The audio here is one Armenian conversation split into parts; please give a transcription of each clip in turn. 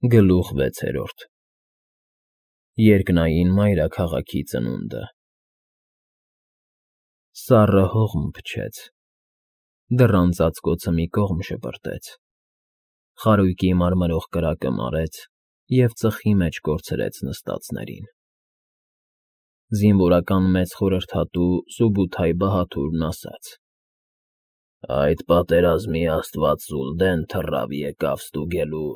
Գլուխ 6 Երկնային մայրաքաղաքի ծնունդը։ Սառը հողմ փչեց, դռան ծածկոցը մի կողմ շպրտեց, խարույկի մարմրող կրակը մարեց և ծխի մեջ կորցրեց նստածներին։ Զինվորական մեծ խորհրդատու Սուբութայ Բահաթուրն ասաց. «Այդ պատերազմի աստված Զուլդեն թռավ եկավ ստուգելու,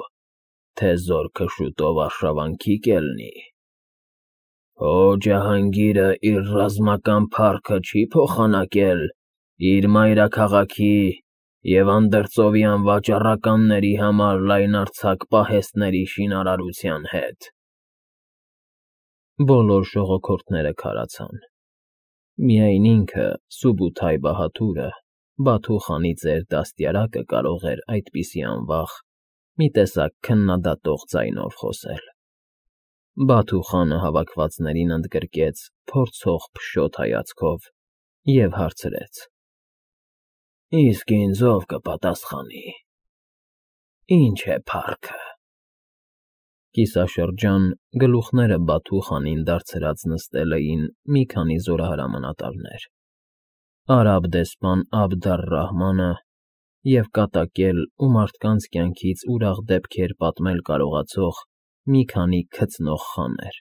թե զորքը շուտով արշավանքի կելնի։ Հո Ջահանգիրը իր ռազմական փառքը չի փոխանակել իր մայրաքաղաքի և անդրծովյան վաճառականների համար լայնարձակ պահեստների շինարարության հետ»։ Բոլոր ժողոքորդները քարացան, միայն ինքը՝ Սուբութայ Բահաթուրը, Բաթու խանի ծեր դաստիարակը կարող էր այդպիսի անվախ, մի տեսակ քննադատող ձայնով խոսել։ Բաթու խանը հավաքվածներին ընդգրկեց փորձող փշոտ հայացքով և հարցրեց. «Իսկ ինձ ո՞վ կպատասխանի, ի՞նչ է փառքը»։ Կիսաշրջան գլուխները Բաթու խանին դարձրած նստել էին մի քանի զորահրամանատարներ՝ արաբ դեսպան Աբդ առ֊Ռահմանը և կատակել ու մարդկանց կյանքից ուրախ դեպքեր պատմել կարողացող մի քանի քծնող խաներ։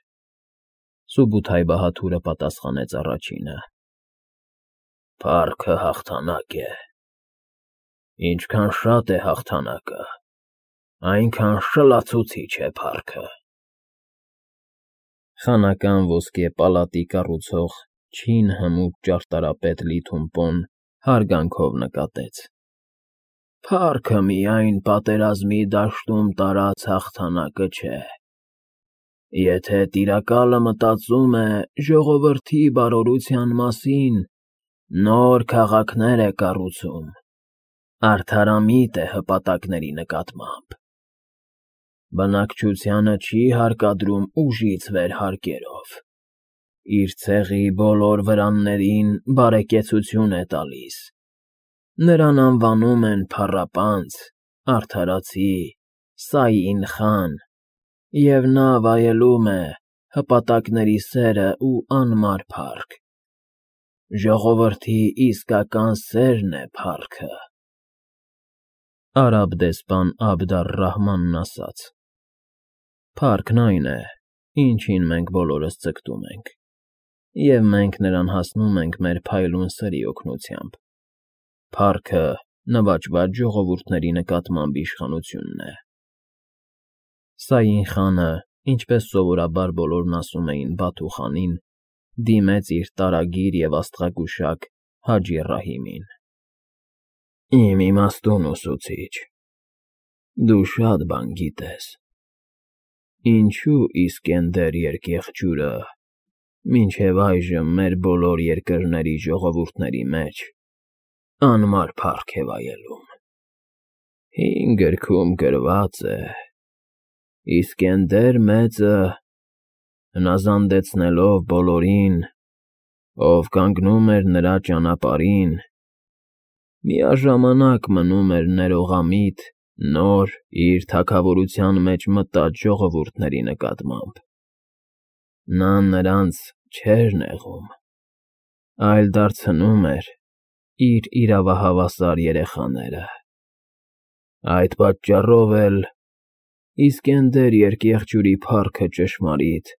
Սուբութայ Բահաթուրը պատասխանեց առաջինը. «Փառքը հաղթանակ է։ Ինչքան շատ է հաղթանակը, այնքան շլացուցիչ է փառքը»։ Խանական ոսկե պալատի կառուցող չին հմուտ ճարտարապետ Լիթումպոն հարգանքով նկատեց. «Փառքը միայն պատերազմի դաշտում տարած հաղթանակը չէ։ Եթե տիրակալը մտածում է ժողովրդի բարօրության մասին, նոր քաղաքներ է կառուցում, արդարամիտ է հպատակների նկատմամբ, բնակչությանը չի հարկադրում ուժից վեր հարկերով, իր ցեղի բոլոր վրաններին բարեկեցություն է տալիս, նրան անվանում են փառապանծ, արդարացի, Սաին Խան, և նա վայելում է հպատակների սերն ու անմար փառք։ Ժողովրդի իսկական սերն է փառքը»։ Արաբ դեսպան Աբդ առ֊Ռահմանն ասաց. «Փառքն այն է, ինչին մենք բոլորս ձգտում ենք, և մենք նրան հասնում ենք մեր փայլուն սրի օգնությամբ։ Փառքը նվաճված ժողովուրդների նկատմամբ իշխանությունն է»։ Սաին Խանը, ինչպես սովորաբար բոլորն ասում էին Բաթու խանին, դիմեց իր տարագիր և աստղագուշակ Հաջի Ռահիմին. «Իմ իմաստուն ուսուցիչ, դու շատ բան գիտես։ Ինչո՞ւ Իսկենդեր երկեղջյուրը մինչև այժմ մեր բոլոր երկրների ժողովուրդների մեջ անմար փառք է վայելում։ Հին գրքում գրված է. Իսկենդեր մեծը, հնազանդեցնելով բոլորին, ով կանգնում էր նրա ճանապարհին, միաժամանակ մնում էր ներողամիտ նոր իր թագավորության մեջ մտած ժողովուրդների նկատմամբ։ Նա նրանց չէր նեղում, այլ դարձնում էր իր իրավահավասար երեխաները։ Այդ պատճառով էլ Իսկենդեր երկեղջյուրի փառքը ճշմարիտ,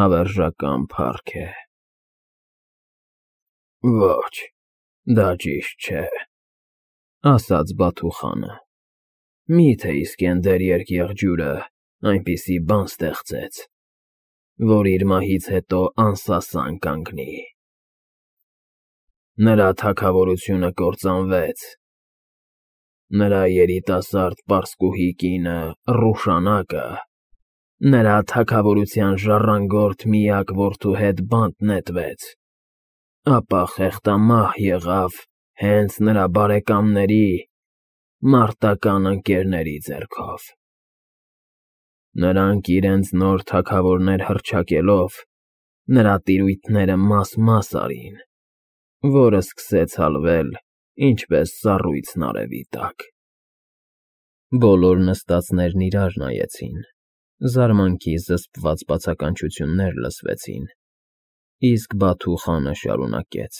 հավերժական փառք է»։ «Ոչ, դա ճիշտ չէ», ասաց Բաթու խանը։ «Մի՞թե Իսկենդեր երկեղջյուրը այնպիսի բան ստեղծեց, որ իր մահից հետո անսասան կանգնի։ Նրա թագավորությունը կործանվեց, նրա երիտասարդ պարսկուհի կինը՝ Ռուշանակը, նրա թագավորության ժառանգորդ միակ որդու հետ բանտ նետվեց, ապա խեղդամահ եղավ հենց նրա բարեկամների՝ մարտական ընկերների ձեռքով։ Նրանք իրենց նոր թագավորներ հռչակելով, նրա տիրույթները մաս֊մաս արին, որը սկսեց հալվել ինչպես սառույցն արևի տակ։ Բոլոր նստածներն իրար նայեցին, զարմանքի զսպված բացականչություններ լսվեցին, իսկ Բաթու խանը շարունակեց.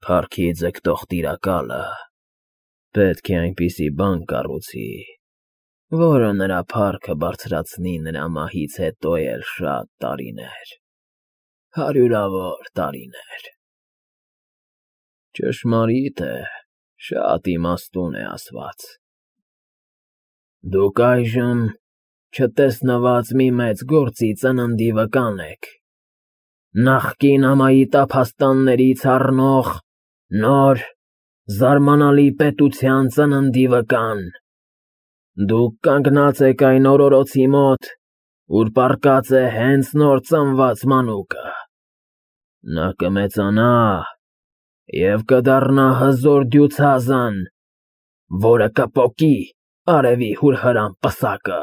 «Փառքի ձգտող տիրակալը պետք է այնպիսի բան կառուցի, որը նրա փառքը բարձրացնի նրա մահից հետո էլ շատ տարիներ, հարյուրավոր տարիներ»։ Ճշմարիտ է, շատ իմաստուն է ասված։ Դուք այժմ չտեսնված մի մեծ գործի ծննդի վկան եք, նախկին ամայի տափաստաններից առնող նոր, զարմանալի պետության ծննդի վկան։ Դուք կանգնած եք այն օրորոցի մոտ, ուր պառկած է հենց նոր ծնված մանուկը։ Նա կմեծանա և կդառնա հզոր դյուցազան, որը կպոկի արևի հուրհրամ պսակը։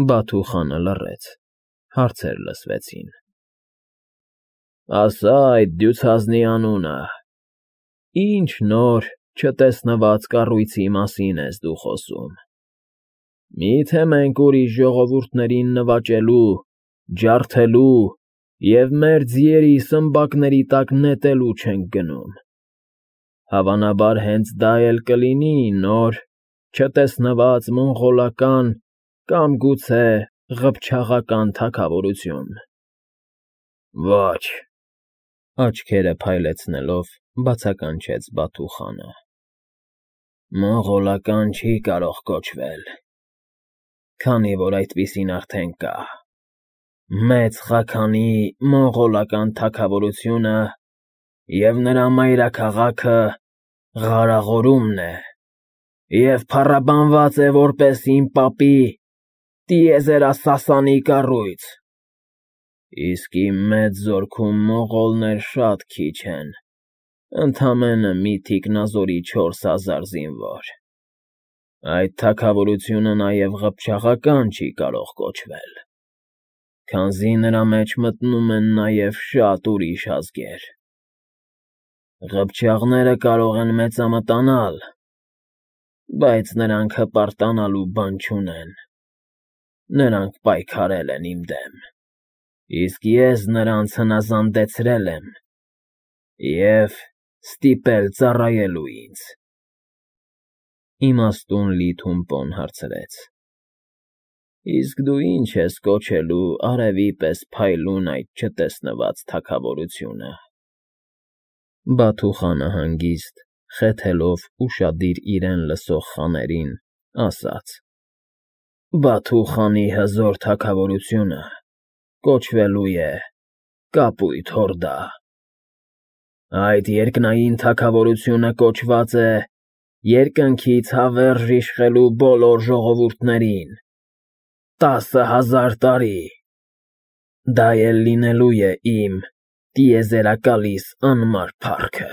Բաթու խանը լռեց, հարցեր լսվեցին. Ասա այդ դյուցազնի անունը, ինչ նոր, չտեսնված կառույցի մասին ես դու խոսում։ Մի՞թե մենք ուրիշ ժողովուրդներին նվաճելու, ջարդելու և մեր ձիերի սմբակների տակ նետելու չենք գնում։ Հավանաբար հենց դա էլ կլինի նոր, չտեսնված մոնղոլական կամ գուցե ղփչաղական թագավորություն։ Ոչ, աչքերը փայլեցնելով բացականչեց Բաթու խանը։ Մոնղոլական չի կարող կոչվել, քանի որ այդպիսին արդեն կա։ Մեծ Խաքանի մոնղոլական թագավորությունը և նրա մայրաքաղաքը Ղարաղորումն է և փառաբանված է որպես իմ պապի տիեզերասասանի կառույց, իսկ իմ մեծ զորքում մոնղոլներ շատ քիչ են, ընդամենը մի թիկնազորի 4000 զինվոր։ Այդ թագավորությունը նաև ղփչաղական չի կարող կոչվել, քանզի նրա մեջ մտնում են նաև շատ ուրիշ ազգեր։ Ղփչաղները կարող են մեծամտանալ, բայց նրանք հպարտանալու բան չունեն։ Նրանք պայքարել են իմ դեմ, իսկ ես նրանց հնազանդեցրել եմ և ստիպել ծառայելու ինձ։ Իմաստուն Լի Թումպոն հարցրեց. Իսկ դու ի՞նչ ես կոչելու արևի պես փայլուն այդ չտեսնված թագավորությունը։ Բաթու խանը հանգիստ, խեթելով ուշադիր իրեն լսող խաներին, ասաց. Բաթու խանի հզոր թագավորությունը կոչվելու է Կապույտ Հորդա։ Այդ երկնային թագավորությունը կոչված է երկնքից հավերժ իշխելու բոլոր ժողովուրդներին 10,000 տարի։ Դա էլ լինելու է իմ տիեզերակալիս անմար փառքը։